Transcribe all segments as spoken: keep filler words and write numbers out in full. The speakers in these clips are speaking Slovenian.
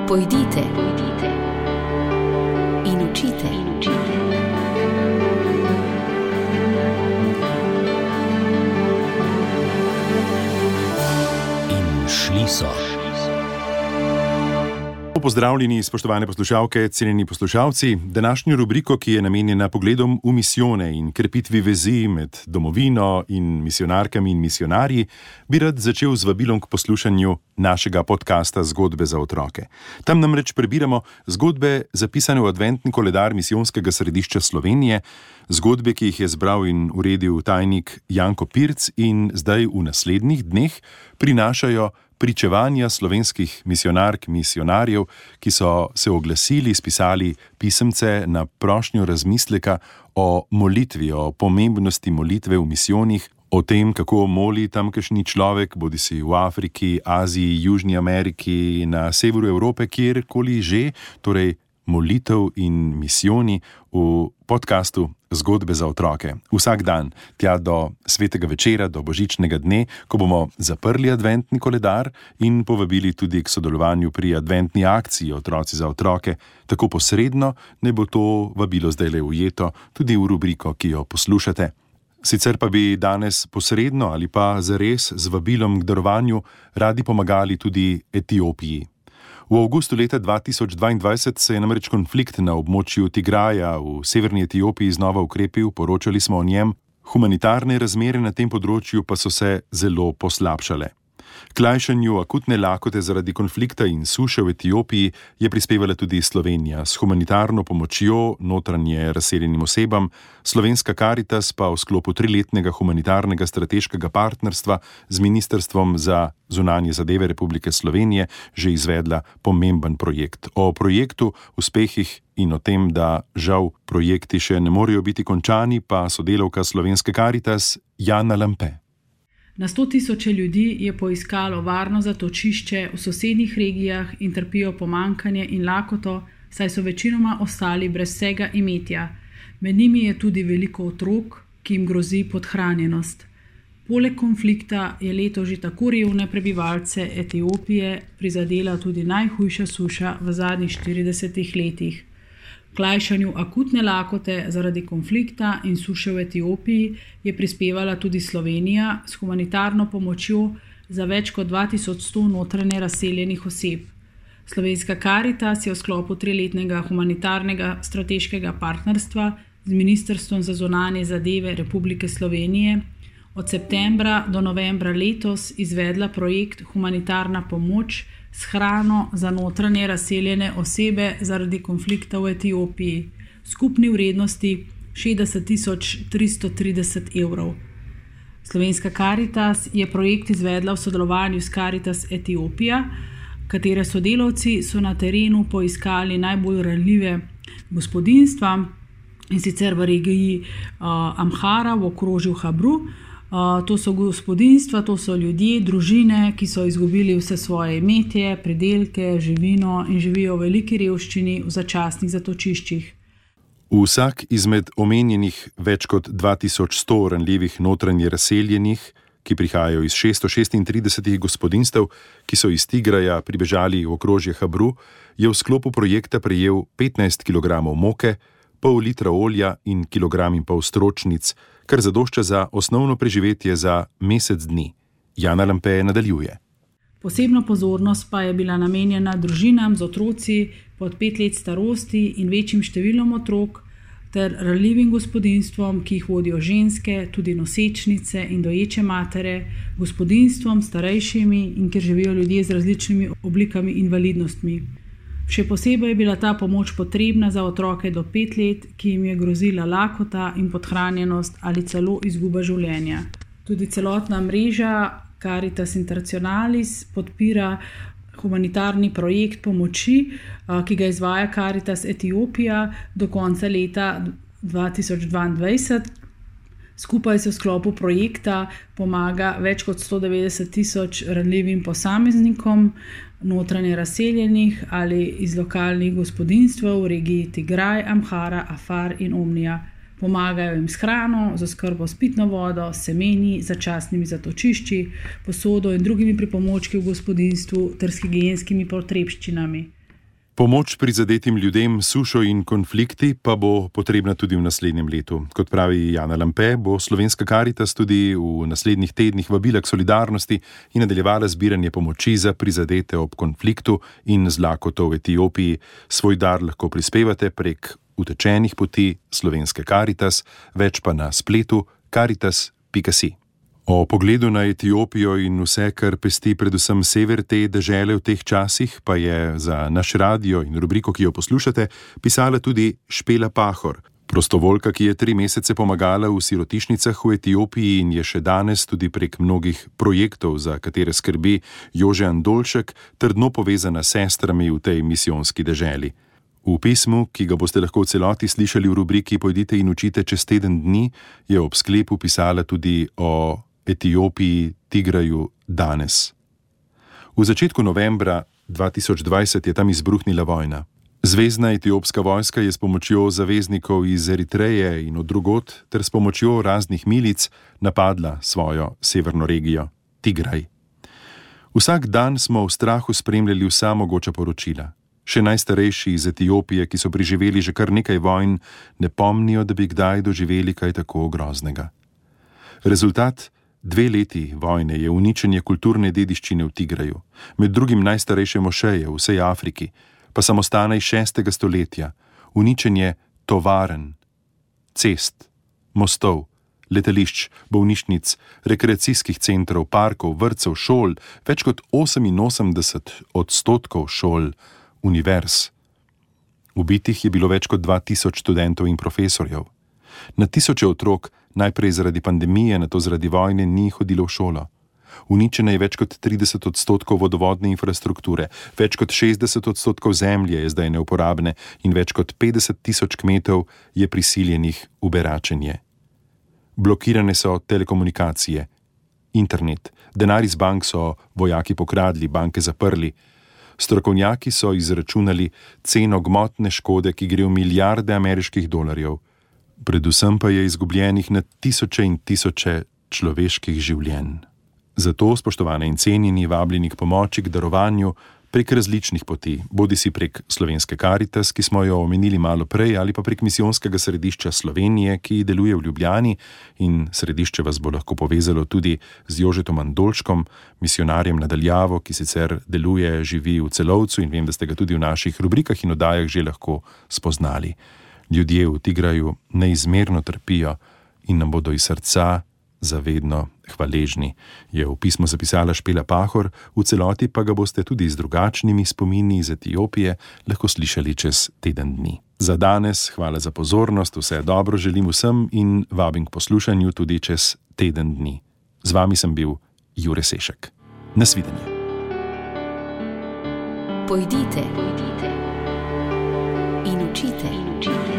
Pojdite, pojdite in učite, in učite. In šli so. Pozdravljeni, spoštovane poslušalke, cenjeni poslušalci. Današnjo rubriko, ki je namenjena pogledom v misijone in krepitvi vezi med domovino in misijonarkami in misijonarji, bi rad začel z vabilom k poslušanju našega podcasta Zgodbe za otroke. Tam namreč prebiramo zgodbe zapisane v adventni koledar Misijonskega središča Slovenije, zgodbe, ki jih je zbral in uredil tajnik Janko Pirc in zdaj v naslednjih dneh prinašajo pričevanja slovenskih misijonark, misijonarjev, ki so se oglasili, spisali pisemce na prošnjo razmisleka o molitvi, o pomembnosti molitve v misijonih, o tem, kako moli tamkajšnji človek, bodisi v Afriki, Aziji, Južni Ameriki, na severu Evrope, kjerkoli že, torej molitev in misijoni v podcastu Zgodbe za otroke. Vsak dan, tja do svetega večera, do božičnega dne, ko bomo zaprli adventni koledar in povabili tudi k sodelovanju pri adventni akciji Otroci za otroke, tako posredno, ne bo to vabilo zdajle ujeto tudi v rubriko, ki jo poslušate. Sicer pa bi danes posredno ali pa zares z vabilom k darovanju radi pomagali tudi Etiopiji. V avgustu leta dva tisoč dvaindvajset se je namreč konflikt na območju Tigraja v severni Etiopiji znova ukrepil, poročali smo o njem, humanitarne razmere na tem področju pa so se zelo poslabšale. K lajšanju akutne lakote zaradi konflikta in suše v Etiopiji je prispevala tudi Slovenija s humanitarno pomočjo notranje razseljenim osebam, Slovenska Karitas pa v sklopu triletnega humanitarnega strateškega partnerstva z Ministrstvom za zunanje zadeve Republike Slovenije že izvedla pomemben projekt. O projektu, uspehih in o tem, da žal projekti še ne morejo biti končani, pa sodelavka Slovenske Karitas Jana Lampe. Na sto tisoče ljudi je poiskalo varno zatočišče v sosednjih regijah in trpijo pomanjkanje in lakoto, saj so večinoma ostali brez vsega imetja. Med njimi je tudi veliko otrok, ki jim grozi podhranjenost. Poleg konflikta je leto že tako revne prebivalce Etiopije prizadela tudi najhujša suša v zadnjih štiridesetih letih. K lajšanju akutne lakote zaradi konflikta in suše v Etiopiji je prispevala tudi Slovenija s humanitarno pomočjo za več kot dva tisoč sto notranje razseljenih oseb. Slovenska Karitas je v sklopu triletnega humanitarnega strateškega partnerstva z Ministrstvom za zunanje zadeve Republike Slovenije od septembra do novembra letos izvedla projekt Humanitarna pomoč s hrano za notranje razseljene osebe zaradi konflikta v Etiopiji, skupni vrednosti šestdeset tisoč tristo trideset evrov. Slovenska Karitas je projekt izvedla v sodelovanju s Karitas Etiopija, katere sodelavci so na terenu poiskali najbolj ranljive gospodinjstva, in sicer v regiji uh, Amhara v okrožju Habru. Uh, to so gospodinjstva, to so ljudje, družine, ki so izgubili vse svoje imetje, pridelke, živino in živijo v veliki revščini v začasnih zatočiščih. Vsak izmed omenjenih več kot dva tisoč sto ranljivih notranje razseljenih, ki prihajajo iz šeststo šestintrideset gospodinjstev, ki so iz Tigraja pribežali v okrožje Habru, je v sklopu projekta prejel petnajst kilogramov moke, pol litra olja in kilogram in pol stročnic, kar zadošča za osnovno preživetje za mesec dni. Jana Lampe nadaljuje. Posebna pozornost pa je bila namenjena družinam z otroci pod pet let starosti in večjim številom otrok ter ranljivim gospodinjstvom, ki jih vodijo ženske, tudi nosečnice in doječe matere, gospodinjstvom starejšimi in kjer živijo ljudje z različnimi oblikami invalidnostmi. Še posebej je bila ta pomoč potrebna za otroke do pet let, ki jim je grozila lakota in podhranjenost ali celo izguba življenja. Tudi celotna mreža Caritas Internationalis podpira humanitarni projekt pomoči, ki ga izvaja Caritas Etiopija do konca leta dva tisoč dvaindvajset. Skupaj se v sklopu projekta pomaga več kot sto devetdeset tisoč ranljivim posameznikom, notranje razseljenih ali iz lokalnih gospodinjstv v regiji Tigraj, Amhara, Afar in Omnija. Pomagajo jim s hrano, z oskrbo s pitno vodo, semeni, začasnimi zatočišči, posodo in drugimi pripomočki v gospodinjstvu ter s higienskimi potrebščinami. Pomoč prizadetim ljudem, sušo in konflikti pa bo potrebna tudi v naslednjem letu. Kot pravi Jana Lampe, bo Slovenska Karitas tudi v naslednjih tednih vabila k solidarnosti in nadaljevala zbiranje pomoči za prizadete ob konfliktu in z lakoto v Etiopiji. Svoj dar lahko prispevate prek utečenih poti Slovenske Karitas, več pa na spletu karitas pika si. O pogledu na Etiopijo in vse, kar pesti predvsem sever te dežele v teh časih, pa je za naš radio in rubriko, ki jo poslušate, pisala tudi Špela Pahor, prostovoljka, ki je tri mesece pomagala v sirotišnicah v Etiopiji in je še danes tudi prek mnogih projektov, za katere skrbi Jože Andolšek, trdno povezana s sestrami v tej misijonski deželi. V pismu, ki ga boste lahko v celoti slišali v rubriki Pojdite in učite čez teden dni, je ob sklepu pisala tudi o Etiopiji, Tigraju, danes. V začetku novembra dva tisoč dvajset je tam izbruhnila vojna. Zvezdna etiopska vojska je s pomočjo zaveznikov iz Eritreje in od drugod ter s pomočjo raznih milic napadla svojo severno regijo, Tigraj. Vsak dan smo v strahu spremljali vsa mogoča poročila. Še najstarejši iz Etiopije, ki so preživeli že kar nekaj vojn, ne pomnijo, da bi kdaj doživeli kaj tako groznega. Rezultat dve leti vojne je uničenje kulturne dediščine v Tigraju, med drugim najstarejše mošeje v vsej Afriki, pa samostana iz šestega stoletja, uničenje tovaren, cest, mostov, letališč, bolnišnic, rekreacijskih centrov, parkov, vrtcev, šol, več kot oseminosemdeset odstotkov šol, univerz. Ubitih je bilo več kot dva tisoč študentov in profesorjev. Na tisoče otrok najprej zaradi pandemije, nato zaradi vojne ni hodilo v šolo. Uničena je več kot trideset odstotkov vodovodne infrastrukture, več kot šestdeset odstotkov zemlje je zdaj neuporabne in več kot petdeset tisoč kmetov je prisiljenih v beračenje. Blokirane so telekomunikacije, internet, denar iz bank so vojaki pokradli, banke zaprli. Strokovnjaki so izračunali ceno gmotne škode, ki gre v milijarde ameriških dolarjev. Predvsem pa je izgubljenih na tisoče in tisoče človeških življenj. Zato, spoštovane in cenjeni, vabljeni k pomoči, k darovanju prek različnih poti, bodisi prek Slovenske Karitas, ki smo jo omenili malo prej, ali pa prek misijonskega središča Slovenije, ki deluje v Ljubljani, in središče vas bo lahko povezalo tudi z Jožetom Andolškom, misionarjem na daljavo, ki sicer deluje, živi v Celovcu in vem, da ste ga tudi v naših rubrikah in oddajah že lahko spoznali. Ljudje v Tigraju neizmerno trpijo in nam bodo iz srca zavedno hvaležni, je v pismu zapisala Špela Pahor, v celoti pa ga boste tudi z drugačnimi spomini iz Etiopije lahko slišali čez teden dni. Za danes hvala za pozornost, vse dobro želim vsem in vabim k poslušanju tudi čez teden dni. Z vami sem bil Jure Sešek. Nasvidenje. Pojdite, pojdite in učite, in učite.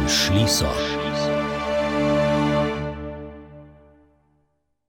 Šli so.